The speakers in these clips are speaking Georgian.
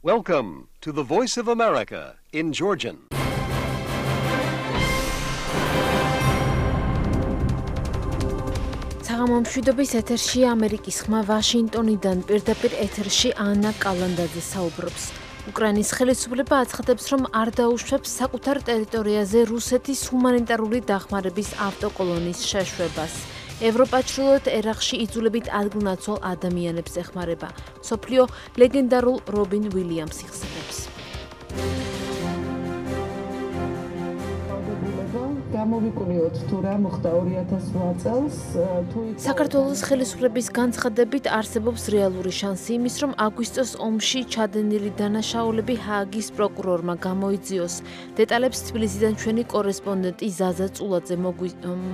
Welcome to the Voice of America in Georgian. საღამომშვიდობის ეთერში ამერიკის ხმა ვაშინტონიდან პირდაპირ ეთერში ანა კალანდაძე საუბრობს. უკრაინის ხელისუფლება აცხადებს, რომ არ დაუშვებს საკუთარ ტერიტორიაზე რუსეთის ჰუმანიტარული დახმარების ავტოკოლონის შეშვებას. ევროპა ჩრდილოეთ ერაყში იძულებით ადგილნაცვალ ადამიანებს ეხმარება. მსოფლიო ლეგენდარულ რობინ უილიამს იხსენებს. გამოვიკვლიოთ თუ რა მოხდა 2008 წელს საქართველოს ხელისუფლების განცხადებით არსებობს რეალური შანსი იმის, რომ აგვისტოს ომში ჩადენილი დანაშაულები ჰააგის პროკურორმა გამოიძიოს. დეტალებს თბილისიდან ჩვენი კორესპონდენტი ზაზა წულაძე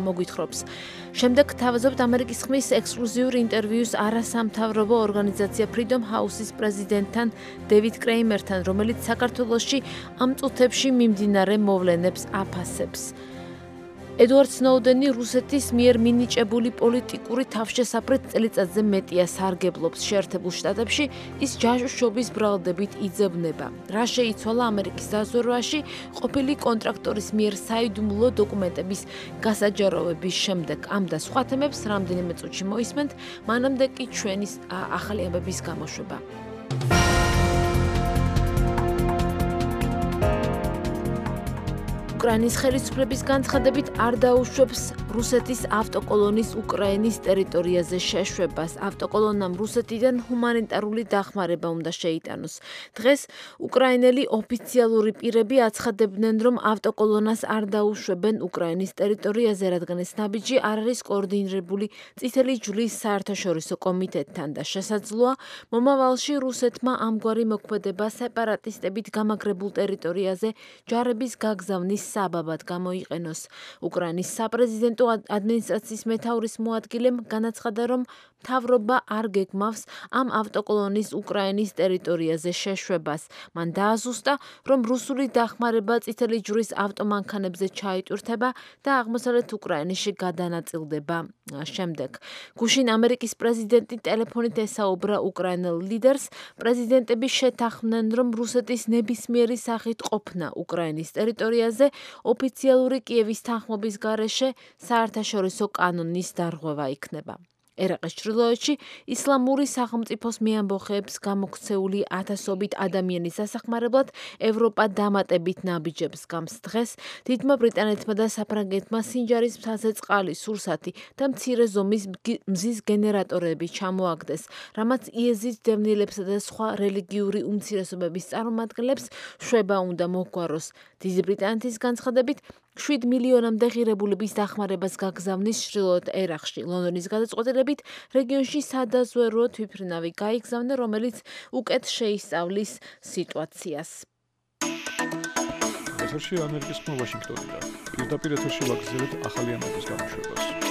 მოგვითხრობს. შემდეგ თავაზობთ ამერიკის ხმის ექსკლუზიურ ინტერვიუს არასამთავრობო ორგანიზაცია Freedom House-ის პრეზიდენტთან დევიდ კრეიმერთან, რომელიც საქართველოში ამ წუთებში მიმდინარე მოვლენებს აფასებს. ედუარდ სნოუდენი რუსეთის მიერ მინიჭებული პოლიტიკური თავშესაფრით წელიწადზე მეტია სარგებლობს შეერთებულ შტატებში, ის ჯაშუშობის ბრალდებით იძებნება. რა შეიცვალა ამერიკის დაზვერვაში ყოფილი კონტრაქტორის მიერ საიდუმლო დოკუმენტების გასაჯაროვების შემდეგ. ამ და სხვა თემებს რამდენიმე წუთში მოისმენთ, მანამდე კი ჩვენი ახალი ამბების გამოშვება. უკრაინის ხელისუფლების განცხადებით არ დაუშვებს რუსეთის ავტოკოლონის უკრაინის ტერიტორიაზე შეშვებას. ავტოკოლონამ რუსეთიდან ჰუმანიტარული დახმარება უნდა შეიტანოს. დღეს უკრაინელი ოფიციალური პირები აცხადებდნენ, რომ ავტოკოლონას არ დაუშვებენ უკრაინის ტერიტორიაზე, რადგან ეს ნაბიჯი არ არის კოორდინირებული წითელი ჯვრის საერთაშორისო კომიტეტთან და შესაძლოა მომავალში რუსეთმა ამგვარი მოქმედება სეპარატისტებით გამაგრებულ ტერიტორიაზე ჯარების გაგზავნის საბაბად გამოიყენოს. უკრაინის საპრეზიდენტო ადმინისტრაციის მეთაურის მოადგილემ განაცხადა, რომ მთავრობა არ გეგმავს ამ ავტოკოლონის უკრაინის ტერიტორიაზე შეშვებას. მან დააზუსტა, რომ რუსული დახმარება წითელი ჯვრის ავტომანქანებზე ჩაიტვირთება და აღმოსავლეთ უკრაინაში გადანაწილდება. შემდეგ გუშინ ამერიკის პრეზიდენტი ტელეფონით ესაუბრა უკრაინელ ლიდერს. პრეზიდენტები შეთანხმდნენ, რომ რუსეთის ნებისმიერი სახით ყოფნა უკრაინის ტერიტორიაზე ოფიციალური კიევის თანხმობის გარეშე საერთაშორისო კანონის დარღვევა იქნება. ერაყის ჩრდილოეთში ისლამური სახელმწიფოს მეამბოხეებს გამოქცეული ათასობით ადამიანის სასახმარებლად ევროპა დამატებით ნაბიჯებს გამს. დღეს დიდმა ბრიტანეთმა და საფრანგეთმა სინჯარის მთაზე წყალი, სურსათი და მცირე ზომის მზის გენერატორები ჩამოაგდეს, რამაც იეზიდ დევნილებსა და სხვა რელიგიური უმცირესობების წარმომადგენლებს შვება უნდა მოგვაროს. დიდი ბრიტანეთის განცხადებით 7 მილიონამდე ღირებულების დახმარებას გაგზავნის ჩრდილოეთ ერაყში. ლონდონის გადაწყვეტილებით რეგიონში სადაზვერვო თვითმფრინავი გაიგზავნა, რომელიც უკეთ შეისწავლის სიტუაციას. ეთერში ამერიკის ხმა ვაშინგტონიდან. პირდაპირ ეთერში ვაგრძელებთ ახალი ამბების გამოშვებას.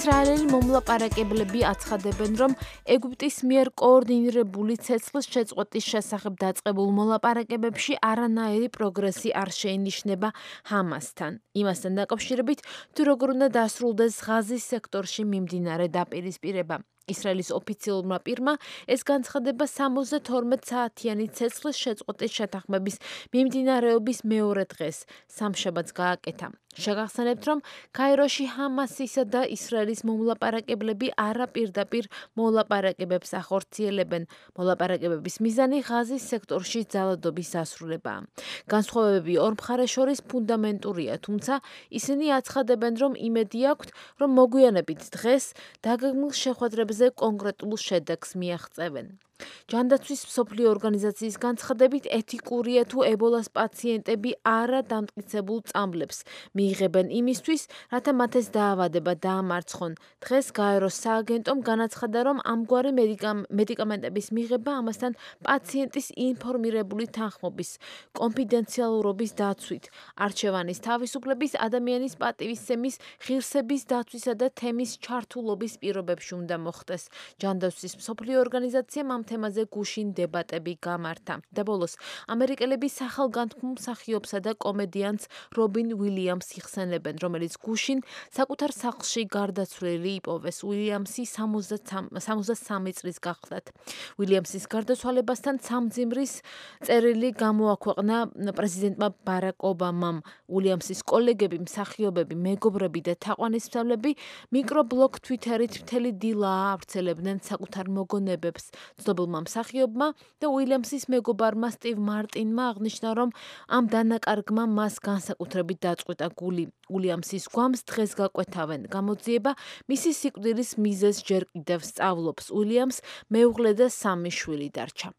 ისრაელელი მომლაპარაკებლები აცხადებენ, რომ ეგვიპტის მიერ კოორდინირებული ცეცხლის შეწყვეტის შესახებ დაწყებულ მოლაპარაკებებში არანაირი პროგრესი არ შეინიშნება ჰამასთან. იმასთან დაკავშირებით, თუ როგორ უნდა დასრულდეს ღაზის სექტორში მიმდინარე დაპირისპირება. ისრაელის ოფიციალურმა პირმა ეს განცხადება 72 საათიანი ცეცხლის შეწყვეტის შეთანხმების მიმდინარეობის მეორე დღეს, სამშაბათს გააკეთა. შეგახსენებთ, რომ კაიროში ჰამასისა და ისრაელის მომლაპარაკებლები არაპირდაპირ მოლაპარაკებებს ახორციელებენ. მოლაპარაკებების მიზანი ღაზის სექტორში ძალადობის დასრულებაა. განსხვავებები ორ მხარეს შორის ფუნდამენტურია, თუმცა ისინი აცხადებენ, რომ იმედი აქვთ, რომ მოგვიანებით დღეს დაგეგმილ შეხვედრებზე კონკრეტულ შედეგს მიაღწევენ. ჯანდაცვის მსოფლიო ორგანიზაციის განცხადებით ეთიკურია თუ ებოლას პაციენტები არა დამტკიცებულ წამლებს მიიღებენ იმისთვის, რათა მათ ეს დაავადება დაამარცხონ. დღეს გაეროს სააგენტომ განაცხადა, რომ ამგვარი მედიკამენტების მიღება ამასთან პაციენტის ინფორმირებული თანხმობის, კონფიდენციალურობის დაცვით, არჩევანის თავისუფლების, ადამიანის პატივისცემის, ღირსების დაცვისა და თემის ჩართულობის პირობებში უნდა მოხდეს. ჯანდაცვის მსოფლიო ორგანიზაციამ ამ თემაზე გუშინ დებატები გამართა. და ბოლოს, ამერიკელები სახალგანთქმულ მსახიობსა და კომედიანტს რობინ უილიამს იხსენებენ, რომელიც გუშინ საკუთარ სახლში გარდაცვლილი იპოვეს. უილიამსი 73 წლის გახლდათ. უილიამსის გარდაცვალებასთან სამძიმრის წერილი გამოაქვეყნა პრეზიდენტმა ბარაკ ობამამ. უილიამსის კოლეგები, მსახიობები, მეგობრები და თაყვანისმცემლები მიკრობლოგ Twitter-ით მთელი დილა ავრცელებდნენ საკუთარ მოგონებებს. ცნობილმა მსახიობმა და უილიამსის მეგობარმა სტივ მარტინმა აღნიშნა, რომ ამ დანაკარგმა მას განსაკუთრებით დაწყვიტა გული. უილიამსის გვამს დღეს გაკვეთავენ. გამოძიება მისი სიკვდილის მიზეზს ჯერ კიდევ სწავლობს. უილიამს მეუღლე და 3 შვილი დარჩა.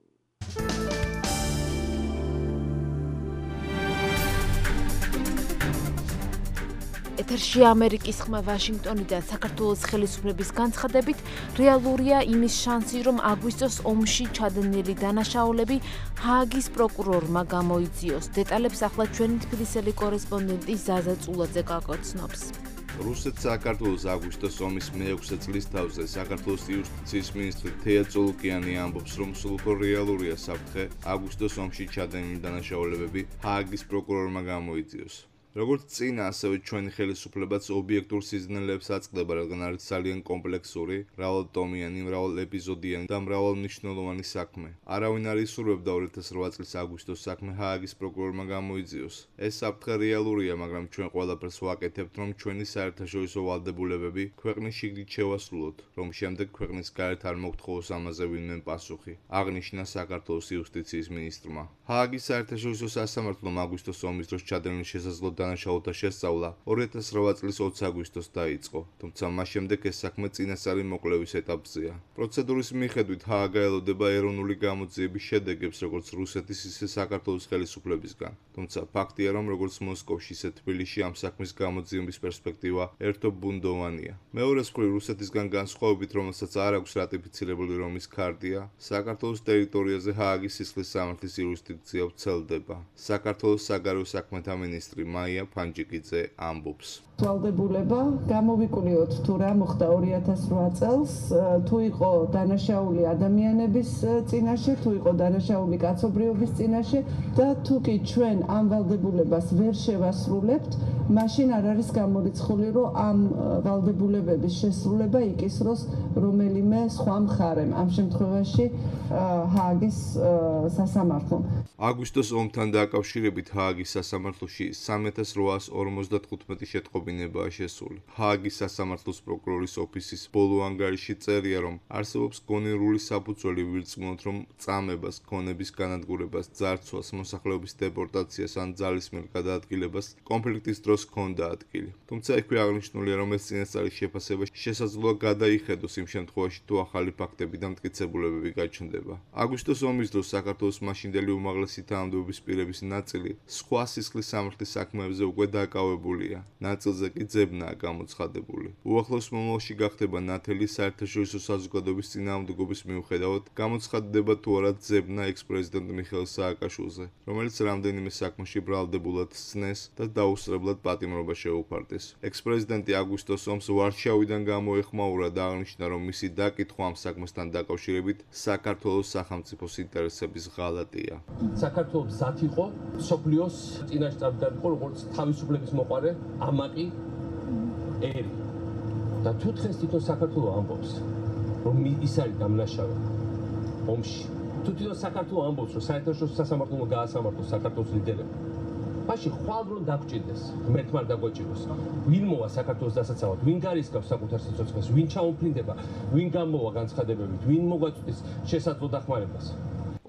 ეთერში ამერიკის ხმა ვაშინგტონიდან საქართველოს ხელისუფლების განცხადებით რეალურია იმის შანსი, რომ აგვისტოს ომში ჩადენილი დანაშაულები ჰააგის პროკურორმა გამოიძიოს. დეტალებს ახლა ჩვენი თბილისელი კორესპონდენტი ზაზა წულაძე გაგაცნობს. რუსეთ-საქართველოს აგვისტოს ომის მე-6 წლის თავზე საქართველოს იუსტიციის მინისტრი თეა წოლუკიანი ამბობს, რომ სულ უფრო რეალურია საფრთხე აგვისტოს ომში ჩადენილი დანაშაულებები ჰააგის პროკურორმა გამოიძიოს. როგორც წინა, ასევე ჩვენი ხელისუფლებაც ობიექტურ სიზნელებს აწყდება, რადგან არის ძალიან კომპლექსური, მრავალტომიანი, მრავალეპიზოდიანი და მრავალმნიშვნელოვანი საქმე. არავინ არ ისურვებდა 2008 წლის აგვისტოს საქმე ჰააგის პროკურორმა გამოიძიოს. ეს საფრთხე რეალურია, მაგრამ ჩვენ ყველაფერს ვაკეთებთ, რომ ჩვენი საერთაშორისო ვალდებულებები ქვეყნის შიგნით შევასრულოთ, რომ შემდეგ ქვეყნის გარეთ არ მოგთხოვოს ამაზე ვინმე პასუხი, აღნიშნა საქართველოს იუსტიციის მინისტრმა. ჰააგის საერთაშორისო სასამართლომ აგვისტოს ომის დროს ჩადენილი შესაძლო დანაშაულთა შესწავლა 2008 წლის 20 აგვისტოს დაიწყო, თუმცა მას შემდეგ ეს საქმე წინასწარი მოკვლევის ეტაპზეა. პროცედურის მიხედვით ჰააგა ელოდება ეროვნული გამოძიების შედეგებს როგორც რუსეთის, ისე საქართველოს ხელისუფლებისგან. თუმცა ფაქტია, რომ როგორც მოსკოვში, ისე თბილისში ამ საქმის გამოძიების პერსპექტივა ერთობუნდოვანია. მეორე მხრივ, რუსეთისგან განსხვავებით, რომელსაც არ აქვს რატიფიცირებული რომის ქარტია, საქართველოს ტერიტორიაზე ჰააგის სისხლის სამართლის იურისდიქცია ვრცელდება. საქართველოს საგარეო საქმეთა მინისტრი მაია ფანჯიკიძე ამბობს. ვალდებულება გამოვიკვლიოთ თუ რა მოხდა 2008 წელს, თუ იყო დანაშაული ადამიანების წინაშე, თუ იყო დანაშაული კაცობრიობის წინაშე და თუ კი ჩვენ ამ ვალდებულებას ვერ შევასრულებთ, მაშინ არ არის გამორიცხული, რომ ამ ვალდებულებების შესრულება იკისროს რომელიმე სხვა მხარემ, ამ შემთხვევაში ჰააგის სასამართლომ. აგვისტოს ომთან დაკავშირებით ჰააგის სასამართლოში 3855 შეტყობინებაა შესული. ჰააგის სასამართლოს პროკურორის ოფისის ბოლო ანგარიში წერია, რომ არსებობს გონივრული საფუძველი ვირწმუნოთ, რომ წამებას, გონების განადგურებას, ძარცვას, მოსახლეობის დეპორტაციას ან ძალისმიერ გადაადგილებას კონფლიქტის დროს ჰქონდა ადგილი. თუმცა იქვე აღნიშნულია, რომ ეს წინასწარი შეფასება შესაძლოა გადაიხედოს იმ შემთხვევაში, თუ ახალი ფაქტები და მტკიცებულებები გაჩნდება. აგვისტოს ომის დროს საქართველოს მაშინდელი უმაღლესი თანამდებობის პირების ნაწილი სხვა სისხლის სამართლის საქმეებზე უკვე დაკავებულია. ნაწილზე კი ძებნაა გამოცხადებული. უახლოს მომავალში გახდება ნათელი საერთაშორისო საზოგადოების წინააღმდეგობის მიუხედავად, გამოცხადდება თუ არა ძებნა ექს-პრეზიდენტ მიხეილ სააკაშვილზე, რომელიც რამდენიმე საქმეში ბრალდებულად სცნეს და დაუსწრებლად პატიმრობა შეუფარდეს. ექს-პრეზიდენტი აგვისტოს ომს ვარშავიდან გამოეხმაურა და აღნიშნა, რომ მისი დაკითხვა ამ საქმესთან დაკავშირებით საქართველოს სახელმწიფოს ინტერესების ღალატია. საქართველოს მზად იყო სოფლიოს წინაშე წამდგარიყო როგორც თავისუფლების მოყარე ამაყი ერი. და თუ დღეს თვითონ საქართველოს ამბობს, რომ ის არის დამნაშავე ომში. თუ თვითონ საქართველოს ამბობს, რომ საერთაშორისო სასამართლომ გაასამართლოს საქართველოს ლიდერები. მაშინ ხვალ რომ დაგჭირდეს, ღმერთმა დაგვაჭიროს. ვინ მოვა საქართველოს დასაცავად, ვინ გარისკავს საკუთარ სიცოცხლეს, ვინ ჩაუფრინდება, ვინ გამოვა განცხადებებით, ვინ მოგვაწვდის შესაძლო დახმარებას.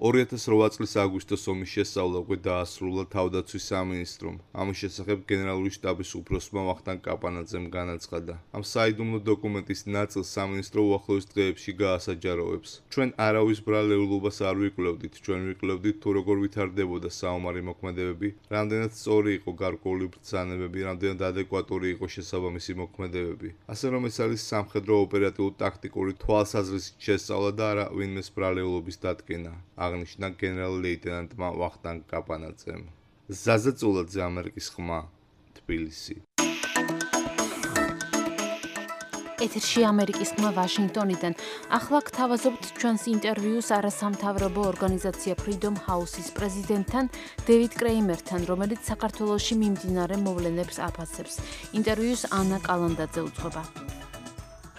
2008 წლის აგვისტოს ომის შესწავლა უკვე დაასრულა თავდაცვის სამინისტრომ. ამის შესახებ გენერალური შტაბის უფროსმა ვახტანგ კაპანაძემ განაცხადა. ამ საიდუმლო დოკუმენტის ნაწილს სამინისტრო უახლოეს დღეებში გაასაჯაროებს. ჩვენ არავის ბრალეულობას არ ვიკვლევდით, ჩვენ ვიკვლევდით თუ როგორ ვითარდებოდა საომარი მოქმედებები, რამდენად სწორი იყო გარკვეული ბრძანებები, რამდენად ადეკვატური იყო შესაბამისი მოქმედებები. ასე რომ ეს არის სამხედრო ოპერატიულ-ტაქტიკური თვალსაზრისით შესწავლა და არა ვინმეს ბრალეულობის დადგენა. აღნიშნა გენერალ-ლეიტენანტმა ვახტანგ კაპანაძემ. ზაზა წულაძე, ამერიკის ხმა, თბილისი. ეთერში ამერიკის ხმა ვაშინგტონიდან. ახლა გთავაზობთ ჩვენს ინტერვიუს არასამთავრობო ორგანიზაცია Freedom House-ის პრეზიდენტთან დევიდ კრეიმერთან, რომელიც საქართველოში მიმდინარე მოვლენებს აფასებს. ინტერვიუს ანა კალანდაძე უძღვება.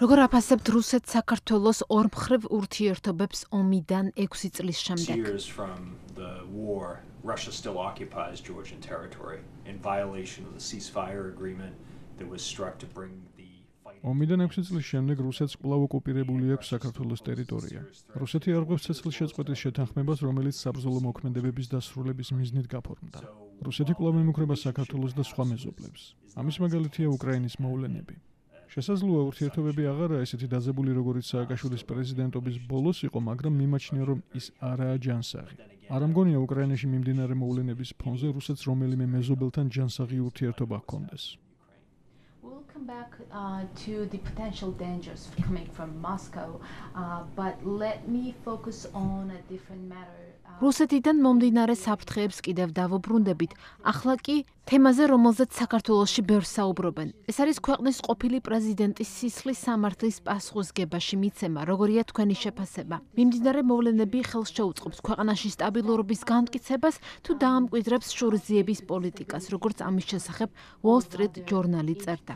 როგორ აფასებთ რუსეთ-საქართველოს ორმხრივ ურთიერთობებს ომიდან 6 წლის შემდეგ? Russia still occupies Georgian territory in violation of the ceasefire agreement that was struck to bring the ომიდან 6 წლის შემდეგ რუსეთს კვლავ ოკუპირებული აქვს საქართველოს ტერიტორია. რუსეთი არღვევს ცეცხლის შეწყვეტის შეთანხმებას, რომელიც საბრძოლო მოქმედებების დასრულების მიზნით გაფორმდა. რუსეთი კვლავ ემუქრება საქართველოს და სხვა მეზობლებს. ამის მაგალითია უკრაინის მოვლენები. შესაძლოა ურთიერთობები აღარაა ესეთი დაძაბული, როგორიც სააკაშვილის პრეზიდენტობის ბოლოს იყო, მაგრამ მიმაჩნია, რომ ის არაა ჯანსაღი. არ ამგონია უკრაინაში მიმდინარე მოვლენების ფონზე რუსეთს რომელიმე მეზობელთან ჯანსაღი ურთიერთობა ჰქონდეს. We'll come back to the potential dangers coming from Moscow, but let me focus on a different matter. რუსეთიდან მომდინარე საფრთხეებს კიდევ დავუბრუნდებით. ახლა კი თემაზე, რომელზეც საქართველოში ბევრს საუბრობენ. ეს არის ქვეყნის ყოფილი პრეზიდენტის სისხლის სამართლის პასუხისგებაში მიცემა, როგორია თქვენი შეფასება. მიმდინარე მოვლენები ხელს შეუწყობს ქვეყანაში სტაბილურობის განმტკიცებას თუ დაამკვიდრებს შურისძიების პოლიტიკას, როგორც ამის შესახებ Wall Street Journal-ი წერდა.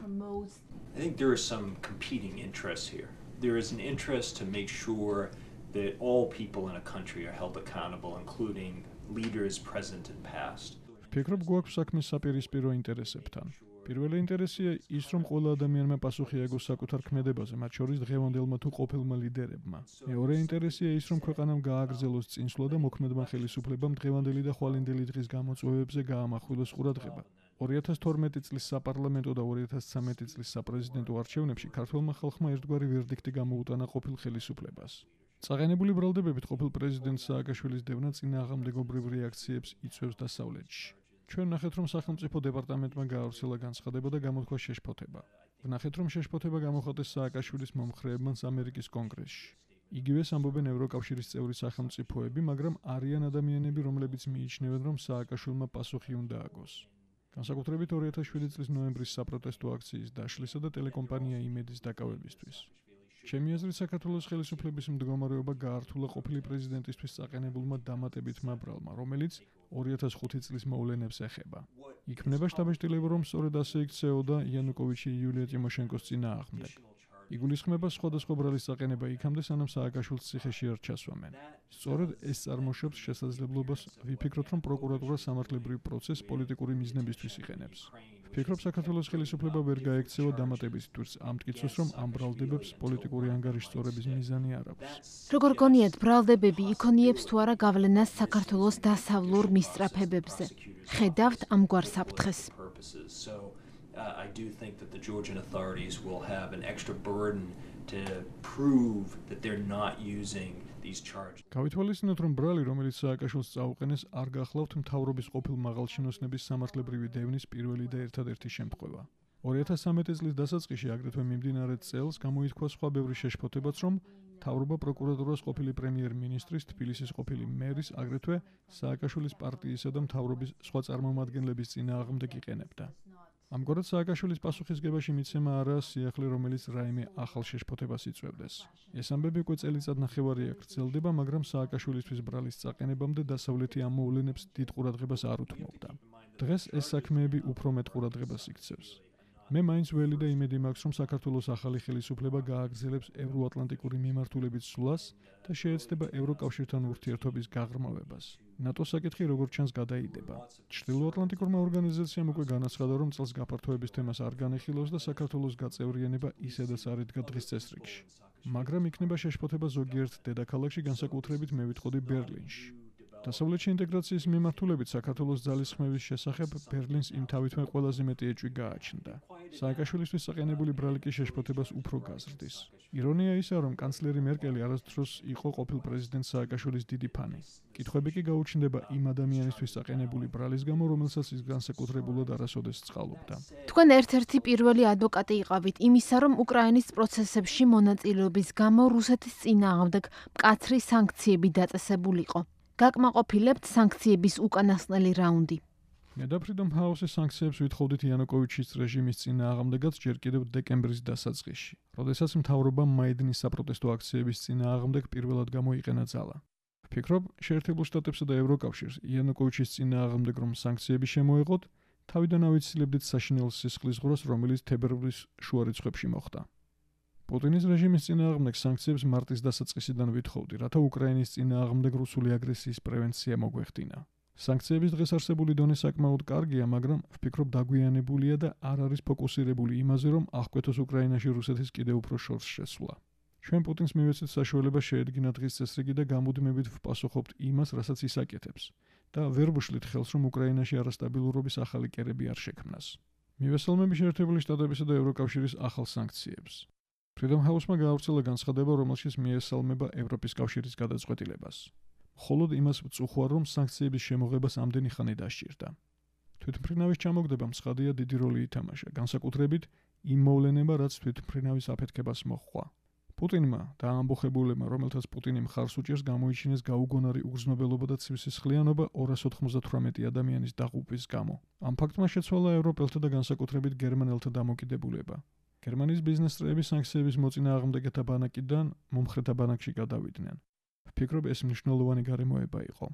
I think there are some competing interests here. There is an interest to make sure that all people in a country are held accountable, including leaders present and past. ვფიქრობ, გვაქვს საქმე საპირისპირო ინტერესებთან. პირველი ინტერესია ის, რომ ყველა ადამიანმა პასუხი აიღოს საკუთარ ქმედებაზე, მათ შორის დღევანდელმა თუ ყოფილმა ლიდერებმა. მეორე ინტერესია ის, რომ ქვეყანამ გააგრძელოს წინსვლა და მოქმედმა ხელისუფლებამ დღევანდელი და ხვალინდელი დღის გამოწვევებზე გაამახვილოს ყურადღება. 2012 წლის საპარლამენტო და 2013 წლის საპრეზიდენტო არჩევნებში ქართველმა ხალხმა ერთგვარი ვერდიქტი გამოუტანა ყოფილ ხელისუფლებას. წაყენებული ბრალდებებით ყოფილ პრეზიდენტ სააკაშვილის დევნა წინააღმდეგობრივ რეაქციებს იწვევს დასავლეთში. ჩვენ ვნახეთ, რომ სახელმწიფო დეპარტამენტმა გაავრცელა განცხადება და გამოთქვა შეშფოთება. ვნახეთ, რომ შეშფოთება გამოხატეს სააკაშვილის მომხრეებმა ამერიკის კონგრესში. იგივეს ამბობენ ევროკავშირის წევრი სახელმწიფოები, მაგრამ არიან ადამიანები, რომლებიც მიიჩნევენ, რომ სააკაშვილმა პასუხი უნდა ააგოს. განსაკუთრებით 2007 წლის ნოემბრის საპროტესტო აქციის დაშლისა და ტელეკომპანია იმედის დაკავებისთვის. ჩემი აზრით, საქართველოს ხელისუფლების მდგომარეობა გაართულა ყოფილი პრეზიდენტისთვის წაყენებულმა დამატებითმა ბრალმა, რომელიც 2005 წლის მოვლენებს ეხება. იქმნება შტაბ-ჭრილება, რომ სწორედ ასე იქცეოდა იანუკოვიჩი იულია ტიმოშენკოს წინააღმდეგ. იგულისხმება სხვადასხვა ბრალის წაყენება იქამდე, სანამ სააკაშვილს ციხეში არ ჩასვამენ. სწორედ ეს წარმოშობს შესაძლებლობას ვიფიქროთ, რომ პროკურატურა სამართლებრივ პროცესს პოლიტიკური მიზნებისთვის იყენებს. ვფიქრობ, საქართველოს ხელისუფლება ვერ გაექცევა დამატების თვირს, ამტკიცოს, რომ ამ ბრალდებებს პოლიტიკური ანგარიშის სწორების მიზანი არ აქვს. როგორ გონიათ, ბრალდებები იქონიებს თუ არა გავლენას საქართველოს დასავლურ მისწრაფებებზე? ხედავთ ამგვარ საფრთხეს? I do think that the Georgian authorities will have an extra burden to prove that they're not using these charges. გავითვალისწინოთ, რომ ბრალი, რომელიც სააკაშვილს წაუყენეს, არ გახლავთ მთავრობის ყოფილ მაღალჩინოსნების სამართლებრივი დევნის პირველი და ერთადერთი შემთხვევა. 2013 წლის დასაწყისში, აგრეთვე მიმდინარე წელს, გამოითქვა სხვა ბევრი შეშფოთებაც, რომ მთავრობა პროკურატურას ყოფილი პრემიერ-მინისტრის, თბილისის ყოფილი მერის, აგრეთვე სააკაშვილის პარტიისა და მთავრობის სხვა წარმომადგენლების წინააღმდეგ იყენებდა. ამგვარად სააკაშვილის პასუხისგებაში მიცემა არაა სიახლე, რომელიც რაიმე ახალ შეშფოთებას იწვევდეს. ეს ამბები უკვე წელიწადნახევარია გრძელდება, მაგრამ სააკაშვილისთვის ბრალის წაყენებამდე დასავლეთი ამ მოვლენებს დიდ ყურადღებას არ უთმობდა. დღეს ეს საქმეები უფრო მეტ ყურადღებას იქცევს. მე მაინც ველი და იმედი მაქვს, რომ საქართველოს ახალი ხელისუფლება გააგრძელებს ევროატლანტიკური მიმართულებით სვლას და შეეცდება ევროკავშირთან ურთიერთობის გაღრმავებას. ნატოს საკითხი როგორც ჩანს გადაიდება. ჩრდილოატლანტიკურმა ორგანიზაციამ უკვე განაცხადა, რომ წელს გაფართოების თემას არ განეხილავს და საქართველოს გაწევრიანება ისედაც არ იდგა დღის წესრიგში. მაგრამ იქნება შეშფოთება ზოგიერთ დედაქალაქში, განსაკუთრებით მე ვიტყოდი ბერლინში. დასავლეთში ინტეგრაციის მიმართულებით საქართველოს ძალისხმევის შესახებ ბერლინს იმთავითვე ყველაზე მეტი ეჭვი გააჩნდა. სააკაშვილისთვის წაყენებული ბრალი კი შეშფოთებას უფრო გაზრდის. ირონია ისაა, რომ კანცლერი მერკელი არასდროს იყო ყოფილ პრეზიდენტ სააკაშვილის დიდი ფანი. კითხვები კი გაუჩნდება იმ ადამიანისთვის წაყენებული ბრალის გამო, რომელსაც ის განსაკუთრებულად არასოდეს წყალობდა. თქვენ ერთ-ერთი პირველი ადვოკატი იყავით იმისა, რომ უკრაინის პროცესებში მონაწილეობის გამო რუსეთის წინააღმდეგ მკაცრი სანქციები დაწესებულიყო. გაკმაყოფილებთ სანქციების უკანასკნელი რაუნდი? მე და Freedom House-ის სანქციებს ვითხოვდით იანუკოვიჩის რეჟიმის წინააღმდეგაც ჯერ კიდევ დეკემბრის დასაწყისში, როდესაც მთავრობამ მაიდინის საპროტესტო აქციების წინააღმდეგ პირველად გამოიყენა ძალა. ვფიქრობ, შეერთებულ შტატებსა და ევროკავშირს იანუკოვიჩის წინააღმდეგ რომ სანქციები შემოეღოთ, თავიდან ავიცილებდით საშინელ სისხლის ღროს, რომელიც თებერვლის შუა რიცხვებში მოხდა. პუტინის რეჟიმის წინააღმდეგ სანქციებს მარტის დასაწყისიდან ვითხოვდი, რათა უკრაინის წინააღმდეგ რუსული აგრესიის პრევენცია მოგვეხდინა. სანქციების დღეს არსებული დონე საკმაოდ კარგია, მაგრამ ვფიქრობ დაგვიანებულია და არ არის ფოკუსირებული იმაზე, რომ აღკვეთოს უკრაინაში რუსეთის კიდევ უფრო შორს შესვლა. ჩვენ პუტინს მივეცეთ საშუალება შეედგინა დღის წესრიგი და გამუდმებით ვპასუხობთ იმას, რასაც ის აკეთებს და ვერ ვუშლით ხელს, რომ უკრაინაში არასტაბილურობის ახალი კერები არ შექმნას. მივესალმები შეერთებული შტატებისა და ევროკავშირის ახალ სანქციებს. Freedom House-მა გაავრცელა განცხადება, რომელშიც მიესალმება ევროპის კავშირის გადაწყვეტილებას. მხოლოდ იმას ვწუხوار, რომ სანქციების შემოღებას ამდენი ხანი დასჭირდა. თვითმფრინავის ჩამოგდება მცხადია დიდი როლი ითამაშა, განსაკუთრებით იმ მოვლენება, რაც თვითმფრინავის აფეთქებას მოჰყვა. პუტინმა და ამბოხებულებმა, რომელთაც პუტინი მხარს უჭერს, გამოიჩინეს გაუგონარი უგრძნობელობა და ცივსისხლიანობა 298 ადამიანის დაღუპვის გამო. ამ ფაქტმა შეცვალა ევროპელთა და განსაკუთრებით გერმანელთა დამოკიდებულება. გერმანიის ბიზნესწრეები სანქციების მოწინააღმდეგეთა ბანაკიდან მომხრეთა ბანაკში გადავიდნენ. ვფიქრობ, ეს მნიშვნელოვანი გარემოება იყო.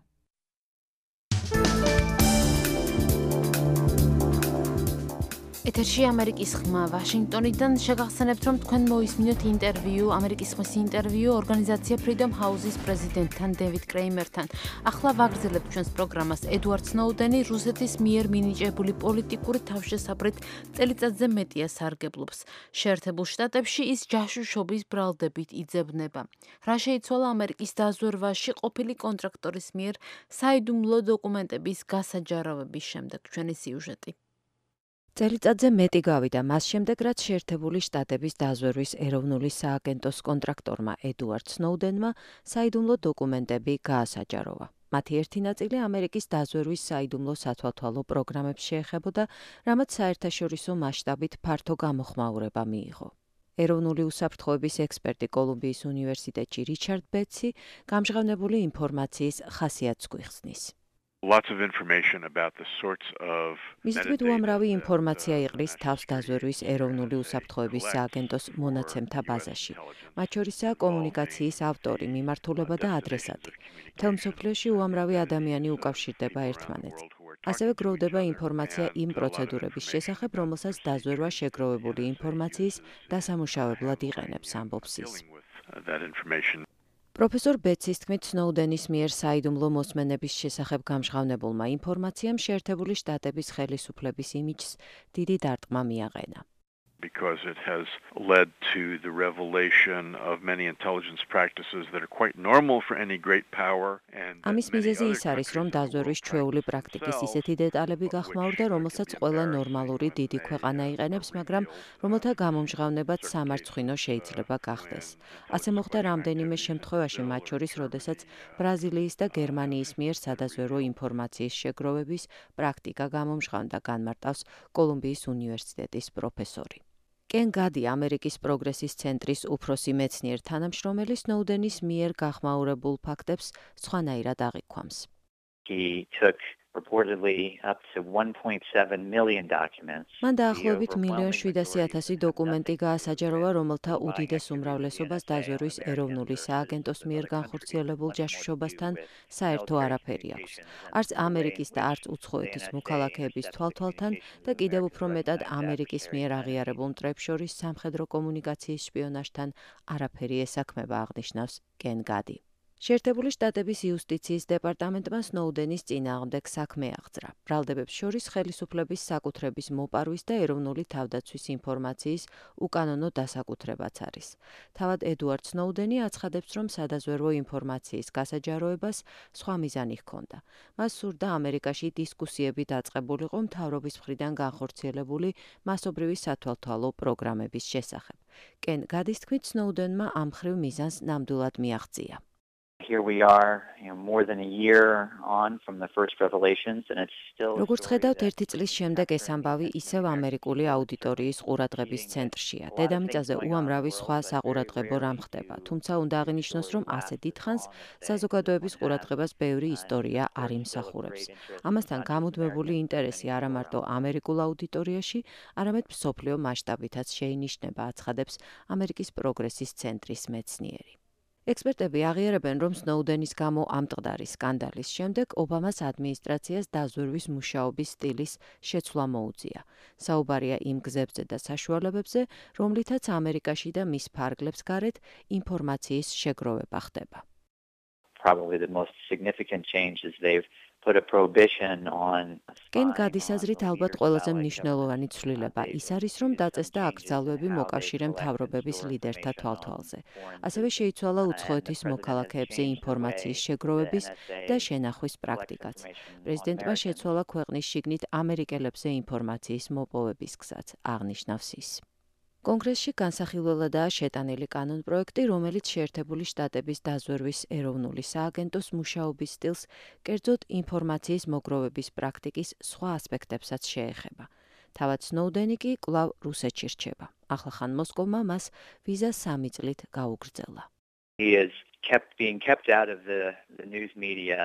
ეთერში ამერიკის ხმა ვაშინგტონიდან შეგახსენებთ, რომ თქვენ მოისმინოთ ინტერვიუ, ამერიკის ხმის ინტერვიუ ორგანიზაცია Freedom House-ის პრეზიდენტთან დევიდ კრეიმერთან. ახლა ვაგრძელებთ ჩვენს პროგრამას. ედუარდ სნოუდენი რუსეთის მიერ მინიჭებული პოლიტიკური თავშესაფრით წელიწადზე მეტია სარგებლობს. შეერთებულ შტატებში ის ჯაშუშობის ბრალდებით იძებნება. რა შეიცვალა ამერიკის დაზვერვაში ყოფილი კონტრაქტორის მიერ საიდუმლო დოკუმენტების გასაჯარავების შემდეგ? ჩვენი სიუჟეტი. წელიწადზე მეტი გავიდა მას შემდეგ, რაც შეერთებული შტატების დაზვერვის ეროვნული სააგენტოს კონტრაქტორმა ედუარდ სნოუდენმა საიდუმლო დოკუმენტები გაასაჯაროვა. მათი ერთი ნაწილი ამერიკის დაზვერვის საიდუმლო სათვალთვალო პროგრამებს შეეხებოდა, რამაც საერთაშორისო მასშტაბით ფართო გამოხმაურება მიიღო. ეროვნული უსაფრთხოების ექსპერტი კოლუმბიის უნივერსიტეტში რიჩარდ ბეტსი გამჟღავნებული ინფორმაციის ხასიათს გვიხსნის. მის თქმით, უამრავი ინფორმაცია იყრის თავს დაზვერვის ეროვნული უსაფრთხოების სააგენტოს მონაცემთა ბაზაში. მათ შორისაა კომუნიკაციის ავტორი, მიმართულება და ადრესატი. მთელ მსოფლიოში უამრავი ადამიანი უკავშირდება ერთმანეთს. ასევე გროვდება ინფორმაცია იმ პროცედურების შესახებ, რომელსაც დაზვერვა შეგროვებული ინფორმაციის დასამუშავებლად იყენებს, ამბობს ის. პროფესორ ბეტსის თქმით, სნოუდენის მიერ საიდუმლო მოსმენების შესახებ გამჟღავნებულმა ინფორმაციამ შეერთებული შტატების ხელისუფლების იმიჯს დიდი დარტყმა მიაყენა. Because it has led to the revelation of many intelligence practices that are quite normal for any great power and ამის მიზეზი ის არის, რომ დაზვერვის ჩვეული პრაქტიკის ისეთი დეტალები გახმაურდა, რომელსაც ყველა ნორმალური დიდი ქვეყანა იყენებს, მაგრამ რომელთა გამომჟღავნებაც სამარცხვინო შეიძლება გახდეს. ასე მოხდა რამდენიმე შემთხვევაში, მათ შორის, როდესაც ბრაზილიის და გერმანიის მიერ სადაზვერვო ინფორმაციის შეგროვების პრაქტიკა გამომჟღავნდა, განმარტავს კოლუმბიის უნივერსიტეტის პროფესორი. კენ გადი ამერიკის პროგრესის ცენტრის უფროსი მეცნიერ თანამშრომელი სნოუდენის მიერ გახმაურებულ ფაქტებს სხვანაირად აღიქვამს. მან დაახლოებით 1,700,000 დოკუმენტი გაასაჯაროვა, რომელთა უდიდეს უმრავლესობას დაზვერვის ეროვნული სააგენტოს მიერ განხორციელებულ ჯაშუშობასთან საერთო არაფერი აქვს. არც ამერიკის და არც უცხოეთის მოქალაქეების თვალთვალთან და კიდევ უფრო მეტად ამერიკის მიერ აღიარებულ მტრებს შორის სამხედრო კომუნიკაციის შპიონაჟთან არაფერი ესაქმება, აღნიშნავს კენ გადი. შეერთებული შტატების იუსტიციის დეპარტამენტმა სნოუდენის წინააღმდეგ საქმე აღძრა. ბრალდებებს შორის ხელისუფლების საკუთრების მოპარვის და ეროვნული თავდაცვის ინფორმაციის უკანონო დასაკუთრებაც არის. თავად ედუარდ სნოუდენი აცხადებს, რომ სადაზვერვო ინფორმაციის გასაჯაროებას სხვა მიზანი ჰქონდა. მას სურდა ამერიკაში დისკუსიები დაწყებულიყო მთავრობის მხრიდან განხორციელებული მასობრივი სათვალთვალო პროგრამების შესახებ. კენ გადის თქმით, სნოუდენმა ამ მხრივ მიზანს ნამდვილად მიაღწია. here we are, more than a year on from the first revelations and it's still როგორც ხედავთ, ერთი წლის შემდეგ ეს ამბავი ისევ ამერიკული აუდიტორიის ყურადღების ცენტრშია. დედამიწაზე უამრავი სხვა საყურადღებო რამ ხდება, თუმცა უნდა აღინიშნოს, რომ ასე დიდხანს საზოგადოების ყურადღებას ბევრი ისტორია არ იმსახურებს. ამასთან გამუდმებული ინტერესი არა მარტო ამერიკულ აუდიტორიაში, არამედ მსოფლიო მასშტაბითაც შეინიშნება, აცხადებს ამერიკის პროგრესის ცენტრის მეცნიერი. ექსპერტები აღიარებენ, რომ სნოუდენის გამო ამტყდარი სკანდალის შემდეგ ობამას ადმინისტრაციას დაზვერვის მუშაობის სტილის შეცვლა მოუწია. საუბარია იმ გზებზე და საშუალებებზე, რომლითაც ამერიკაში და მის ფარგლებს გარეთ ინფორმაციის შეგროვება ხდება. Probably the most significant change is they've put a prohibition on კენ გადის აზრით ალბათ ყველაზე მნიშვნელოვანი ცვლილება ის არის, რომ დაწესდა აკრძალვები მოკავშირე მთავრობების ლიდერთა თვალთვალზე. ასევე შეიცვალა უცხოეთის მოქალაქეებზე ინფორმაციის შეგროვების და შენახვის პრაქტიკაც. პრეზიდენტმა შეცვალა ქვეყნის შიგნით ამერიკელებზე ინფორმაციის მოპოვების გზაც, აღნიშნავს ის. კონგრესში განსახილველადაა შეტანილი კანონპროექტი, რომელიც შეერთებული შტატების დაზვერვის ეროვნული სააგენტოს მუშაობის სტილს, კერძოდ ინფორმაციის მოგროვების პრაქტიკის სხვა ასპექტებსაც შეეხება. თავად სნოუდენი კი კვლავ რუსეთში რჩება. ახლახან მოსკოვმა მას ვიზა 3 წლით გაუგრძელა. He is being kept out of the news media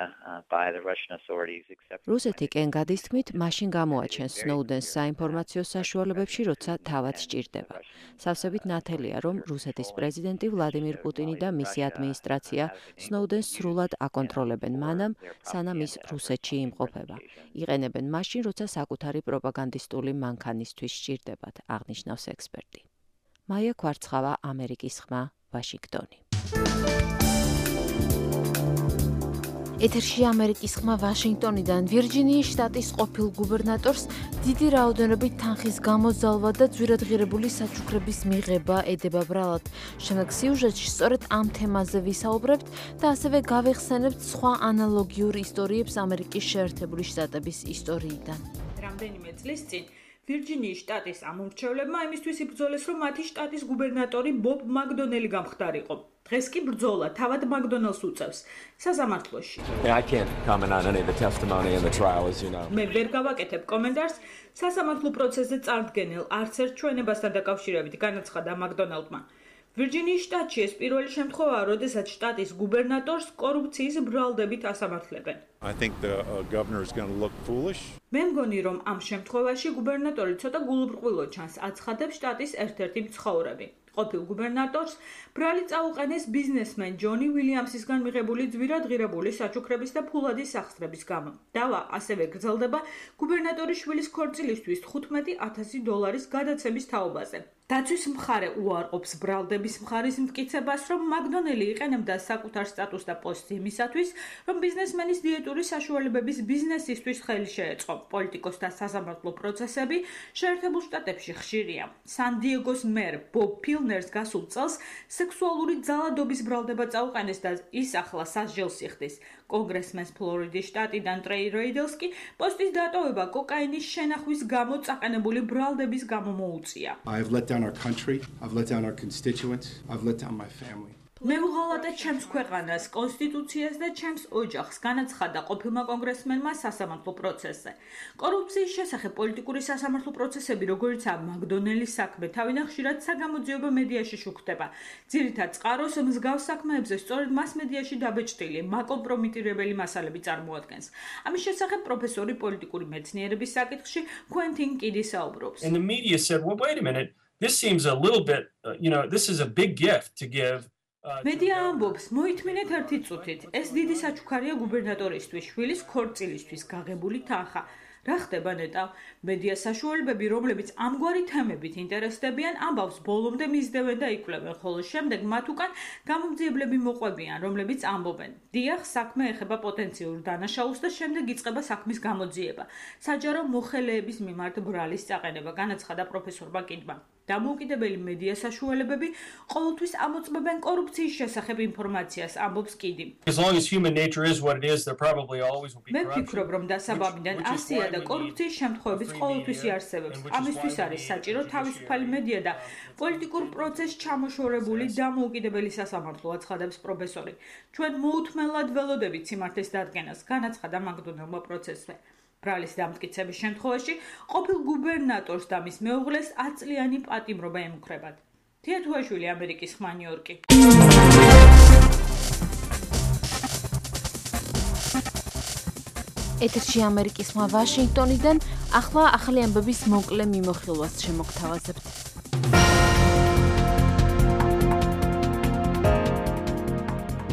by the Russian authorities except რუსეთი კენ გადის თქმით, მაშინ გამოაჩენს სნოუდენს საინფორმაციო საშუალებებში, როცა თავად სჭირდება. სავსებით ნათელია, რომ რუსეთის პრეზიდენტი ვლადიმირ პუტინი და მისი ადმინისტრაცია სნოუდენს სრულად აკონტროლებენ მანამ, სანამ ის რუსეთში იმყოფება. იყენებენ მაშინ, როცა საკუთარი პროპაგანდისტული მანქანისთვის სჭირდებათ, აღნიშნავს ექსპერტი. მაია კვარცხავა, ამერიკის ხმა, ვაშინგტონი. ეთერში ამერიკის ხმა ვაშინგტონიდან ვირჯინიის შტატის ყოფილ გუბერნატორს დიდი რაოდენობით თანხის გამოზალვა და ძვირადღირებული საჩუქრების მიღება ედება ბრალად. შემდეგ სიუჟეტში სწორედ ამ თემაზე ვისაუბრებთ და ასევე გავეხსენებთ სხვა ანალოგიურ ისტორიებს ამერიკის შეერთებული შტატების ისტორიიდან. რამდენიმე წლის წინ ვირჯინიის შტატის ამომრჩევლებმა იმისთვის იბრძოლეს, რომ მათი შტატის გუბერნატორი ბობ მაკდონელი გამხდარიყო. დღეს კი ბრძოლა თავად მაკდონელს უწევს სასამართლოში. მე ვერ გავაკეთებ კომენტარს სასამართლო პროცესზე წარდგენილ არც ერთ ჩვენებასთან დაკავშირებით, განაცხადა მაკდონელდმა. ვირჯინიის შტატში ეს პირველი შემთხვევაა, როდესაც შტატის გუბერნატორს კორუფციის ბრალდებით ასამართლებენ. მე მგონი, რომ ამ შემთხვევაში გუბერნატორი ცოტა გულუბრყვილო ჩანს, აცხადებს შტატის ერთ-ერთი მცხოვრები. ყოფილ გუბერნატორს ბრალი წაუყენეს ბიზნესმენ ჯონი ვილიამსისგან მიღებული ძვირადღირებული საჩუქრების და ფულადი სახსრების გამო. დავა ასევე გრძელდება გუბერნატორის შვილის ქორწილისთვის $15,000 გადაცემის თაობაზე. დაცვის მხარე უარყოფს ბრალდების მხარის მტკიცებას, რომ მაკდონელი იყენებდა საკუთარ სტატუსს და პოსტს იმისათვის, რომ ბიზნესმენის დიეტური საშუალებების ბიზნესისთვის ხელი შეეწყო. პოლიტიკოსთა სასამართლო პროცესები შეერთებულ შტატებში ხშირია. სან-დიეგოს მერ ბობ ფილნერს გასულ წელს სექსუალური ძალადობის ბრალდება წაუყენეს და ის ახლა სასჯელს იხდის. კონგრესმენს ფლორიდის შტატიდან ტრეი რეიდელს კი პოსტის დატოვება კოკაინის შენახვის გამო წაყენებული ბრალდების გამო მოუწია. I've let down our country, I've let down our constituents, I've let down my family. მე ვღალატე ჩემს ქვეყანას, კონსტიტუციას და ჩემს ოჯახს, განაცხადა ყოფილმა კონგრესმენმა სასამართლო პროცესზე. კორუფციის შესახებ პოლიტიკური სასამართლო პროცესები, როგორიცაა მაკდონელის საქმე, თავიდან ხშირად საგამოძიებო მედიაში შუქდება. ძირითად წყაროს მსგავს საქმეებზე სწორედ მას მედიაში დაბეჭდილი, მაკომპრომიტირებელი მასალები წარმოადგენს. ამის შესახებ პროფესორი პოლიტიკური მეცნიერების საკითხში κουენტინ კიდი საუბრობს. And the media said, well, wait a minute, this seems a little bit, this is a big gift to give. მედია ამბობს, მოითმინეთ ერთი წუთით, ეს დიდი საჩუქარია გუბერნატორისთვის, შვილის ქორწილისთვის გაღებული თანხა. რა ხდება ნეტავ? მედია საშუალებები, რომლებიც ამგვარი თემებით ინტერესდებიან, ამბავს ბოლომდე მისდევენ და იკვლევენ, ხოლო შემდეგ მათ უკან გამომძიებლები მოყვებიან, რომლებიც ამბობენ. დიახ, საქმე ეხება პოტენციურ დანაშაულს და შემდეგ იწყება საქმის გამოძიება. საჯარო მოხელეების მიმართ ბრალის წაყენება, განაცხადა პროფესორმა კიდმა. დამოუკიდებელი მედია საშუალებები ყოველთვის ამოწმებენ კორუფციის შესახებ ინფორმაციას, ამბობს კიდი. As long as human nature is what it is, there probably always will be მე corruption. ვფიქრობ, რომ დასაბამიდან ასია და კორუფციის შემთხვევებიც ყოველთვის იარსებებს. ამისთვის არის საჭირო თავისუფალი მედია და პოლიტიკურ პროცესს ჩამოშორებული დამოუკიდებელი სასამართლო, აცხადებს პროფესორი. ჩვენ მოუთმენლად ველოდებით სიმართლის დადგენას, განაცხადა მაკდონალდმა პროცესზე. ბრალის დამტკიცების შემთხვევაში ყოფილ გუბერნატორს და მის მეუღლეს 10 წლიანი პატიმრობა ემუქრებათ. თია თუაშვილი, ამერიკის ხმა, ნიუ-იორკი. ეთერში ამერიკის ხმა ვაშინგტონიდან, ახლა ახალი ამბების მოკლე მიმოხილვას შემოგთავაზებთ.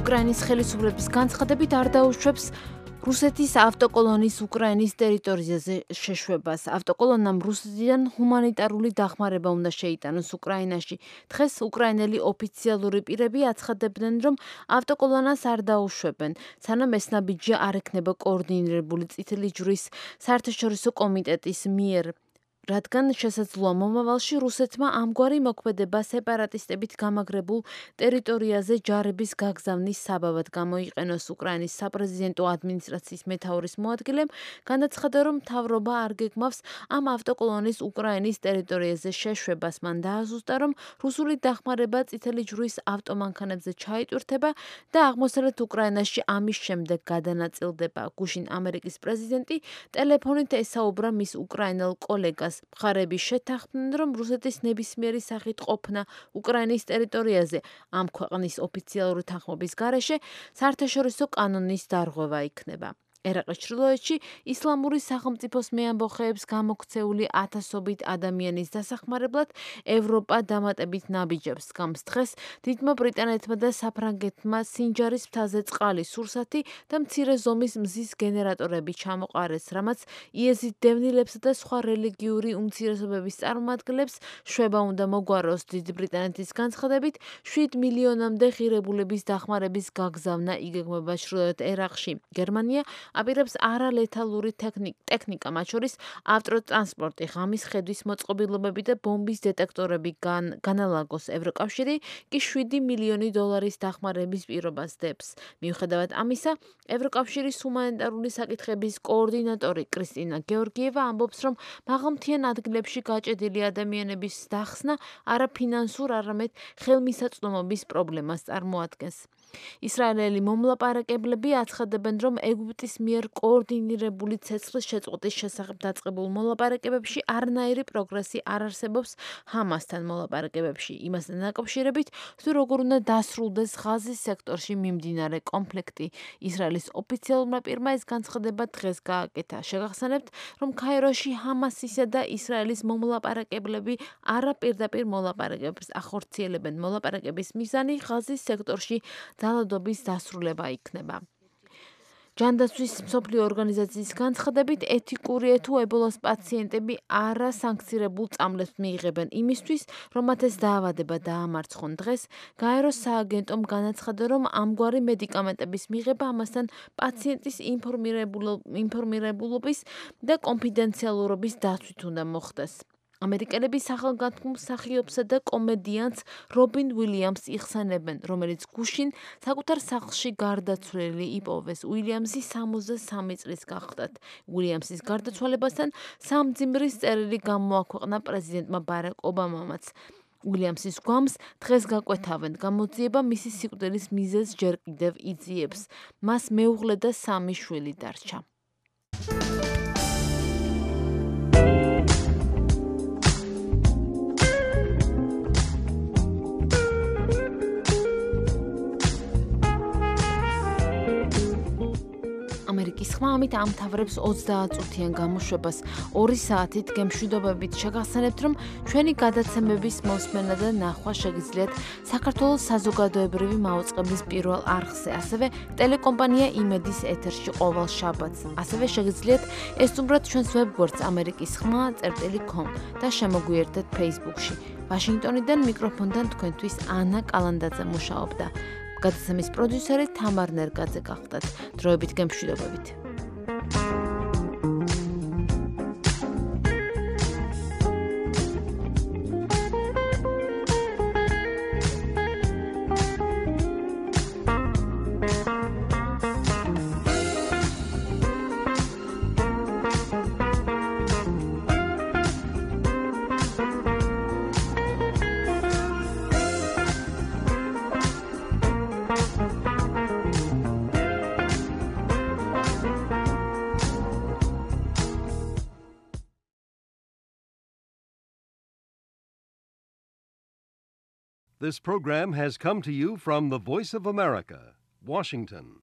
უკრაინის ხელისუფლების განცხადებით არ დაუშვებს რუსეთის ავტოკოლონის უკრაინის ტერიტორიაზე შეშვებას. ავტოკოლონამ რუსეთიდან ჰუმანიტარული დახმარება უნდა შეიტანოს უკრაინაში. დღეს უკრაინელი ოფიციალური პირები აცხადებდნენ, რომ ავტოკოლონას არ დაუშვებენ, სანამ ეს ნაბიჯი არ ექნება კოორდინირებული წითელი ჯვრის საერთაშორისო კომიტეტის მიერ. რადგან შესაძლოა მომავალში რუსეთმა ამგვარი მოქმედება სეპარატისტებით გამაგრებულ ტერიტორიაზე ჯარების გაგზავნის საბაბად გამოიყენოს. უკრაინის საპრეზიდენტო ადმინისტრაციის მეთაურის მოადგილემ განაცხადა, რომ მთავრობა არ გეგმავს ამ ავტოკოლონის უკრაინის ტერიტორიაზე შეშვებას. მან დააზუსტა, რომ რუსული დახმარება წითელი ჯვრის ავტომანქანებზე ჩაიტვირთება და აღმოსავლეთ უკრაინაში ამის შემდეგ გადანაწილდება. გუშინ ამერიკის პრეზიდენტი ტელეფონით ესაუბრა მის უკრაინელ კოლეგას. მხარები შეთანხმდნენ, რომ რუსეთის ნებისმიერი სახით ყოფნა უკრაინის ტერიტორიაზე ამ ქვეყნის ოფიციალური თანხმობის გარეშე საერთაშორისო კანონის დარღვევა იქნება. ერაყის ჩრდილოეთში ისლამური სახელმწიფოს მეამბოხეებს გამოქცეული ათასობით ადამიანის დასახმარებლად ევროპა დამატებით ნაბიჯებს გამს. დღეს დიდმა ბრიტანეთმა და საფრანგეთმა სინჯარის მთაზე წყალი, სურსათი და მცირე ზომის მზის გენერატორები ჩამოყარეს, რამაც იეზიდ დევნილებსა და სხვა რელიგიური უმცირესობების წარმომადგენლებს შვება უნდა მოგვაროს. დიდი ბრიტანეთის განცხადებით 7 მილიონამდე ღირებულების დახმარების გაგზავნა იგეგმება ჩრდილოეთ ერაყში. გერმანია აპირებს არალეთალური ტექნიკა, მათ შორის ავტოტრანსპორტი, ღამის ხედვის მოწყობილობები და ბომბის დეტექტორები განალაგოს. ევროკავშირი კი 7 მილიონი დოლარის დახმარების პირობას დებს. მიუხედავად ამისა, ევროკავშირის ჰუმანიტარული საკითხების კოორდინატორი კრისტინა გეორგიევა ამბობს, რომ მაღალმთიან ადგილებში გაჭედილი ადამიანების დახსნა არა ფინანსურ, არამედ ხელმისაწვდომობის პრობლემას წარმოადგენს. ისრაელელი მომლაპარაკებლები აცხადებენ, რომ ეგვიპტის მიერ კოორდინირებული ცეცხლის შეწყვეტის შესახებ დაწყებულ მოლაპარაკებებში არანაირი პროგრესი არ არსებობს ჰამასთან მოლაპარაკებებში. იმასთან დაკავშირებით, თუ როგორ უნდა დასრულდეს ღაზის სექტორში მიმდინარე კონფლიქტი. ისრაელის ოფიციალურმა პირმა ეს განცხადება დღეს გააკეთა. შეგახსენებთ, რომ ქაიროში ჰამასისა და ისრაელის მომლაპარაკებლები არაპირდაპირ მოლაპარაკებებს ახორციელებენ. მოლაპარაკების მიზანი ღაზის სექტორში ძალადობის დასრულება იქნება. ჯანდაცვის მსოფლიო ორგანიზაციის განცხადებით, ეთიკური თუ ებოლას პაციენტები არა სანქცირებულ წამლებს მიიღებენ იმისთვის, რომ მათ ეს დაავადება დაამარცხონ. დღეს გაეროს სააგენტომ განაცხადა, რომ ამგვარი მედიკამენტების მიღება ამასთან პაციენტის ინფორმირებულობის და კონფიდენციალურობის დაცვით უნდა მოხდეს. ამერიკელები სახელგანთქმულ მსახიობსა და კომედიანტს რობინ უილიამსს იხსენებენ, რომელიც გუშინ საკუთარ სახლში გარდაცვლილი იპოვეს. უილიამსი 63 წლის გახლდათ. უილიამსის გარდაცვალებასთან სამძიმრის წერილი გამოაქვეყნა პრეზიდენტმა ბარაკ ობამამაც. უილიამსის გვამს დღეს გაკვეთავენ. გამოძიება მისი სიკვდილის მიზეზს ჯერ კიდევ იძიებს. მას მეუღლე და 3 შვილი დარჩა. ამერიკის ხმა ამით ამთავრებს 30 წუთიან გამოშვებას 2 საათით გემშვიდობებით. შეგახსენებთ, რომ ჩვენი გადაცემების მოსმენა და ნახვა შეგიძლიათ საქართველოს საზოგადოებრივი მაუწყებლის პირველ არხზე, ასევე ტელეკომპანია იმედის ეთერში ყოველ შაბათს. ასევე შეგიძლიათ ესწრებათ ჩვენს ვებგვერდს amerikiskhma.com და შემოგვიერთდეთ Facebook-ში. ვაშინგტონიდან მიკროფონთან თქვენთვის ანა კალანდაძე მუშაობდა. გადაცემის პროდიუსერი თამარ ნერგაძე გახდათ. დროებით გემშვიდობებით. This program has come to you from the Voice of America, Washington.